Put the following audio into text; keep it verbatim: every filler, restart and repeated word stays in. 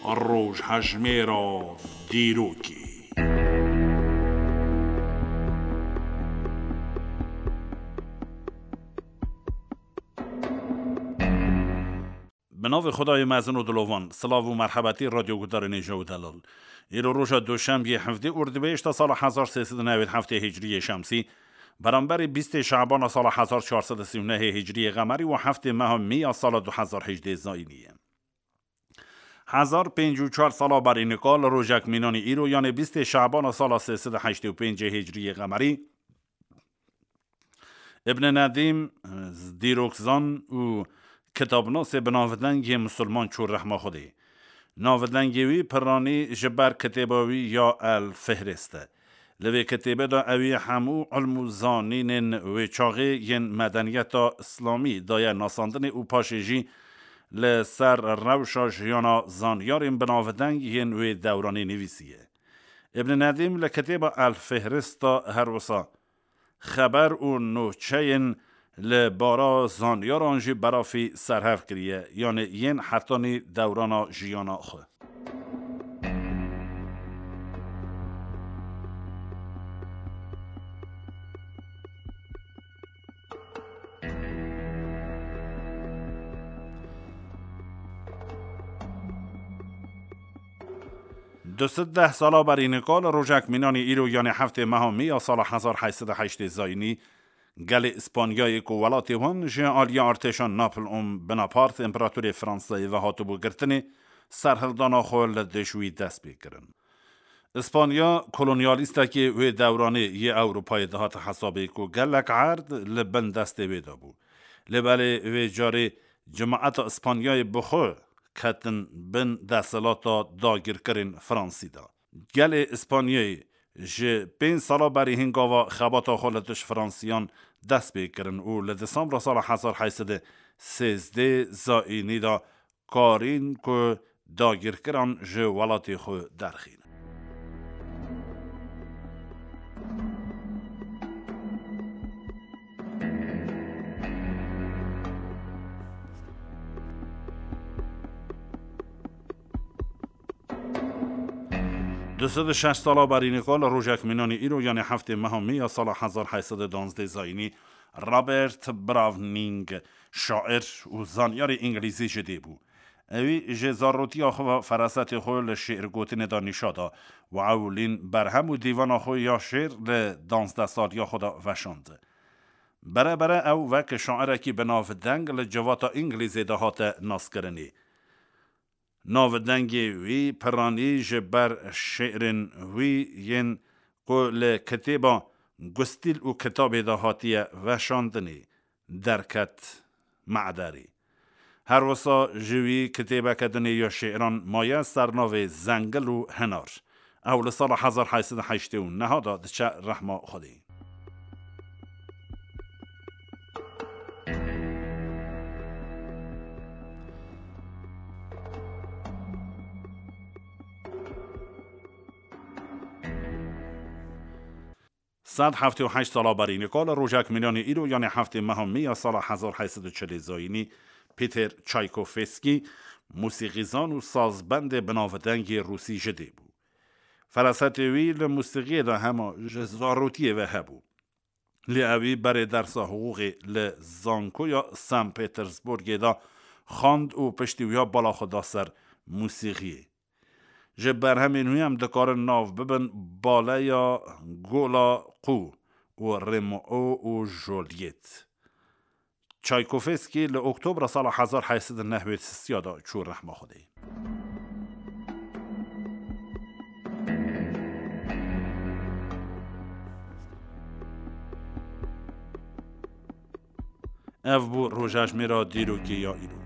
Rojhejmêra dîrokê. Bi navê Xwedayê mezin û dilovan, silav û merhebetî radyoguhdarên hêja û delal. Îro roja Duşembiyê hevdê Ordibêşta sala hezar sê sed û newêd heftê Hicriyê Şemsî, beramberî bîstê Şabana sala hezar çar sed û sî û nehê Hicriyê Qemerî û heftê meha Mîya sala du hezar hejdê Zayînî ye. Hezar pêncî û çar sala berî nika li rojek mînanî îro, yanê bîstê Şabana sala sê sed û heştê û pêncê Hicriyê Qemerî, Ibn Nedîm, dîrokzan û kitabnasê bi navdeng yê Musulman çû rehma Xwedê. Navdengê wî piranî ji ber kitêba wî ya El Fihrist e. Li vê kitêbê de ewî hemû ilm û zanînên wê çaxê yên medeniyeta Îslamî daye nasandinê û paşê jî li ser rewşa jiyana zanyarên bi navdeng yên wê dewranê nivîsiye. Ibn Nedîm li kitêba El Fihrist de her wisa xeber û nûçeyên li bara zanyaran jî berafî serhev kiriye, yanê yên hetanî dewrana jiyana xwe. Du sed deh sala berî nika li rojek mînanî îro, yanê heftê meha Mî ya sala hezar heyt sed û heştê Zayînî, gelê Îspanyayê ku welatê wan ji aliyê artêşa Napoleon Bonaparte, împeratorê Fransayê ve hatibû girtinê, serhildana xwe li dij wî dest pê kirin. Îspanya kolonyalîstekê wê dewranê yê Ewropayê dihate hesabê ku gelek erd li bin destê wê de bû. Lê belê vê carê cemaeta Îspanyayê bi xwe ketin bin desthilata dagirkirên Fransî de. Gelê Îspanyayê ji pênc sala berî hingava xebata xwe li dij Fransiyan dest pê kirin û li Desembra sala hezar heyt sed û sêzdeh Zayînî de karîn ku dagirkiran ji welatê xwe derxînin. Du sed û şeş sala berî nika li rojek mînanî îro, yanê heftê meha Mî ya sala hezar heyt sed û duwazdeh Zayînî, Robert Browning, şair û zanyarê îngilîzî ji dê bû. Ewî ji zarotiya xwe ve ferasetê xwe li şi'rgotinê de nîşa da û ewilîn berhem û dîvana xwe ya şi'r li danzdeh saliya xwe de veşand. Bere bere ew wek şairekî bi navdeng li civata Îngilîzê de hate naskirinê. Navdengê wî piranî ji ber şi'rên wî yên ku li kitêba Gustîl û Kitabê de hatiye veşandinê derket mederê. Her wisa ji wî kitêbeke dinê ya şi'ran maye ser navê Zengil û Hinar. Ew li sala hezar heyt sed û heştê û neh de diçe rehma Xwedê. Sed heftê û heşt sala berî nika li rojek mînanî îro, yanê heftê meha Mî ya sala hezar heyt sed û çilê Zayînî, Peter Çaykovskî, musîqîzan û sazbendê binavdengê rûsî ji dê bû. Ferasetê wî li musîqiyê de hema ji zarotiyê ve hebû. Lê ewî berê dersa hiqûqê li Zankoya San Petersburgê de xwend û piştî wiya bala xwe da ser musîqiyê. Ji berhemên wî em dikarin nav bibin Baleya Gola Qû û Romeo û Juliet. Çaykovskî li Oktobra sala hezar heyt sed û newêd sisiya de çû rehma Xwedê. Ev bû rojejmêra dîrokê ya îro.